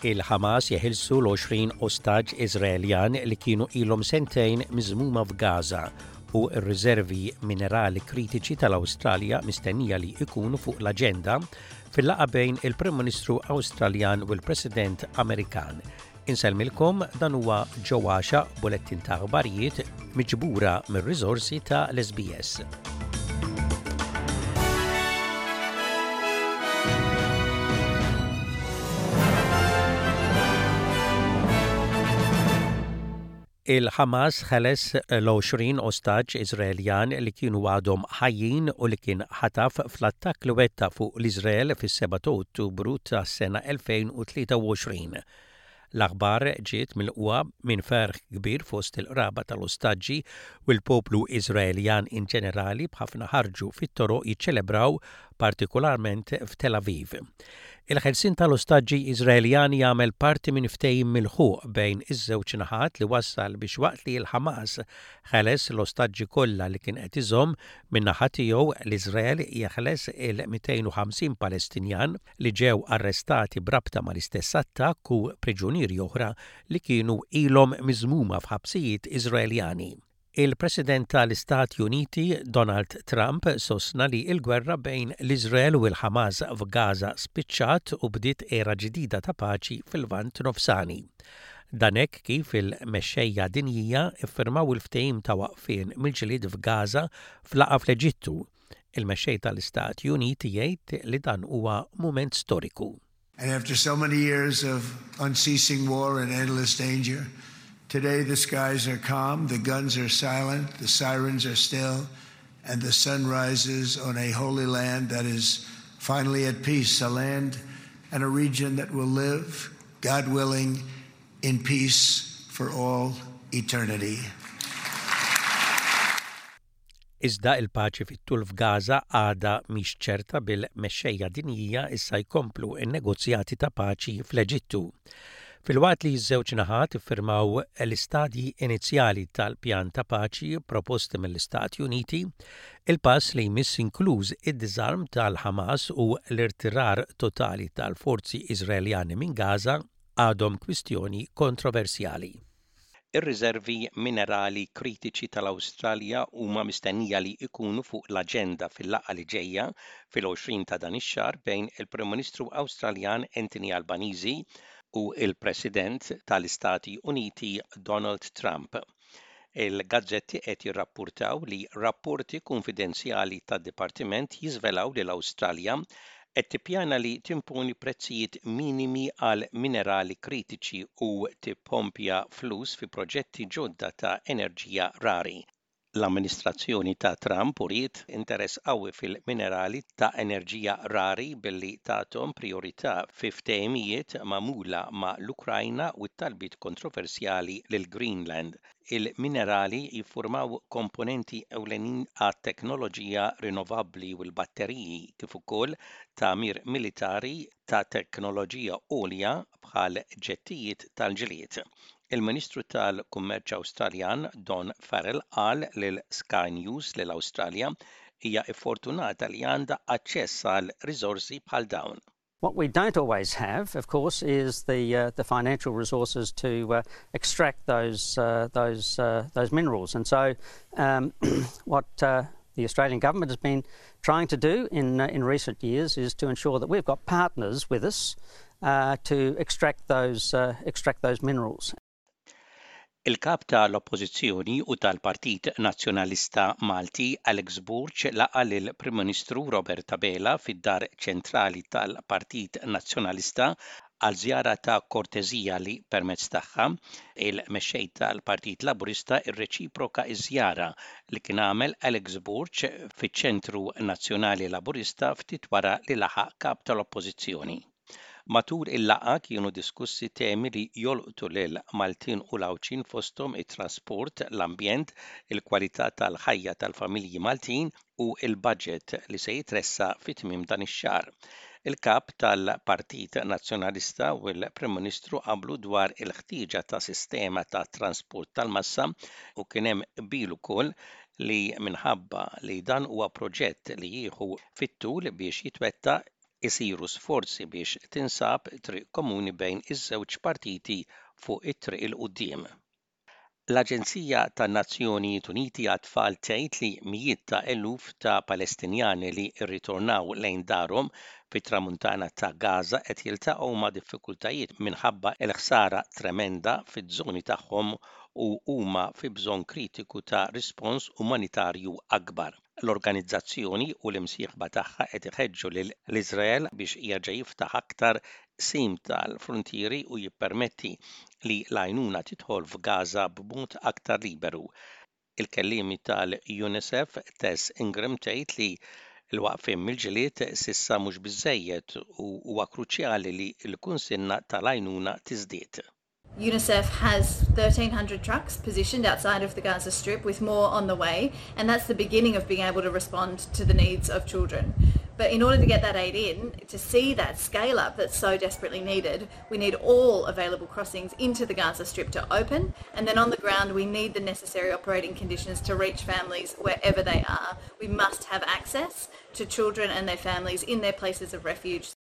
Il-Ħamas jeħilsu l-20 ostaġġ Iżraeljan li kienu ilhom sentejn miżmuma f'Gaza u r-riservi minerali kritiċi tal-Awstralja mistennija li jkunu fuq l-aġenda fil-laqgħa bejn il-Prim Ministru Awstraljan u l-President Amerikan. Insellmilkom dan huwa Joe Għaxaq bulettin ta' aħbarijiet miġbura mir-riżorsi ta' l-SBS. Il-Ħamas ħeles l-20 ostaġġ Iżraeljan li kienu għadhom ħajjin u li kien ħataf fl-attakk li wettaq fuq l-Iżrael fis-7 ta' Ottubru tas-sena 2023. L-aħbar ġiet milqugħa minn ferħ kbir fost il-qraba tal-ostaġġi u l-poplu Iżraeljan in ġenerali b'ħafna ħarġu fit-toroq jiċċelebraw partikolarment f'Tel Aviv. Il-ħelsien tal-ostaġġi Iżraeljani jagħmel parti minn ftehim milħuq bejn iż-żewġ naħat li wassal biex waqt li l-Ħamas ħeles l-ostaġġi kollha li kien qed iżomm, min-naħa tiegħu l-Iżrael jeħles il-250 Palestinjan li ġew arrestati b'rabta mal-istess attakk u priġunieri oħra li kienu ilhom miżmuma f'ħabsijiet Iżraeljani. Il-President tal-Istati Uniti, Donald Trump, sostna li l-gwerra bejn l-Iżrael u l-Ħamas f'Gaza spiċċat u bdiet era ġdida ta' paċi fil-Lvant Nofsani. Dan hekk kif il-mexxejja dinjija ffirmaw il-ftehim ta' waqfien mill-ġlied f'Gaza f'laqgħa fl-Eġittu. Il-mexxej tal-Istati Uniti jgħid li dan huwa mument storiku. And after so many years of unceasing war and endless danger, today the skies are calm, the guns are silent, the sirens are still, and the sun rises on a holy land that is finally at peace, a land and a region that will live, God willing, in peace for all eternity. Iżda il-paċi fit-tul f'Gaza għadha mhix ċerta bil-mexxejja dinjija issa jkomplu n-negozjati ta' paċi fl-Eġittu. Filwaqt li ż-żewġ naħat iffirmaw l-istadji inizjali tal-pjan ta' paċi proposti mill-Istati Uniti, il-pass li jmiss inkluż id-diżarm tal-Ħamas u l-irtirar totali tal-forzi Iżraeljani minn Gaza għadhom kwistjoni kontroversjali. Ir-riservi minerali kritiċi tal-Awstralja huma mistennija li jkunu fuq l-aġenda fil-laqgħa li ġejja fil-20 ta' dan ix-xahar bejn il-Prim Ministru Awstraljan Anthony Albanese u l-President tal-Istati Uniti Donald Trump. Il-gazzetti qed jirrappurtaw li rapporti kunfidenzjali tad-dipartiment jiżvelaw li l-Awstralja qed tippjana li timponi prezzijiet minimi għal minerali kritiċi u tippompja flus fi proġetti ġodda ta' enerġija rari. L-amministrazzjoni ta' Trump uriet interess qawwi fil-minerali ta' enerġija rari billi tathom prijorità fi ftehimijiet magħmula ma' l-Ukrajna u t-talbiet kontroversjali lil Greenland. Il-minerali jiffurmaw komponenti ewlenin għat-teknoloġija rinnovabbli u l-batteriji, kif ukoll tagħmir militari ta' teknoloġija għolja bħal ġettijiet tal-ġlied. Il-Ministru tal-Kummerċ Awstraljan Don Farrell qal lil Sky News li l-Awstralja hija ffortunata li għandha aċċess għal riżorsi bħal dawn. What we don't always have, of course, is the, uh, the financial resources to uh, extract those, uh, those, uh, those minerals. And so um, what uh, the Australian government has been trying to do in, uh, in recent years is to ensure that we've got partners with us uh, to extract those, uh, extract those minerals. Il-Kap ta' l-Oppożizzjoni u tal-Partit Nazzjonalista Malti Alex Borg laqa' lill-Prim Ministru Robert Abela fid-Dar Ċentrali tal-Partit Nazzjonalista għal żjara ta' korteżija li permezz tagħha il-Mexxej tal-Partit Laburista rreċiproka ż-żjara li kien għamel Alex Borg fiċ-Ċentru Nazzjonali Laburista ftit wara li laħaq Kap tal-Oppożizzjoni. Matul il-laqgħa kienu diskussi temi li jolqtu lil Maltin u l-Għawdxin fosthom it-trasport, l-ambjent, il-kwalità tal-ħajja tal-familji Maltin u l-budget li se jitressaq fi tmiem dan ix-xahar. Il-Kap tal-Partit Nazzjonalista u l-Prim Ministru qablu dwar il-ħtieġa ta' sistema ta' transport tal-massa u kien hemm qbil ukoll li minħabba li dan huwa proġett li jieħu fit-tul biex jitwettaq, isiru sforzi biex tinsab triq komuni bejn iż-żewġ partiti fuq it-triq 'il quddiem. L-Aġenzija tan-Nazzjonijiet Uniti għat-Tfal tgħid li mijiet ta' eluf ta' Palestinjani li rritornaw lejn darhom fit-Tramuntana ta' Gaza qed jiltaqgħu ma' diffikultajiet minħabba l-ħsara tremenda fiż-żoni tagħhom u huma fi bżonn kritiku ta' rispons umanitarju akbar. L-organizzazzjoni u l-imsieħba tagħha qed iħeġġu lil Iżrael biex jerġa' jiftaħ aktar qsim tal-fruntieri u jippermetti li l-għajnuna tidħol f'Gaza b'mod aktar liberu. Il-kelliema tal-UNICEF Tess Ingram tgħid li l-waqfien mill-ġlied s'issa mhux biżejjed u huwa kruċjali li l-kunsinna tal-għajnuna tiżdied. UNICEF has 1,300 trucks positioned outside of the Gaza Strip with more on the way, and that's the beginning of being able to respond to the needs of children. But in order to get that aid in, to see that scale up that's so desperately needed, we need all available crossings into the Gaza Strip to open, and then on the ground we need the necessary operating conditions to reach families wherever they are. We must have access to children and their families in their places of refuge.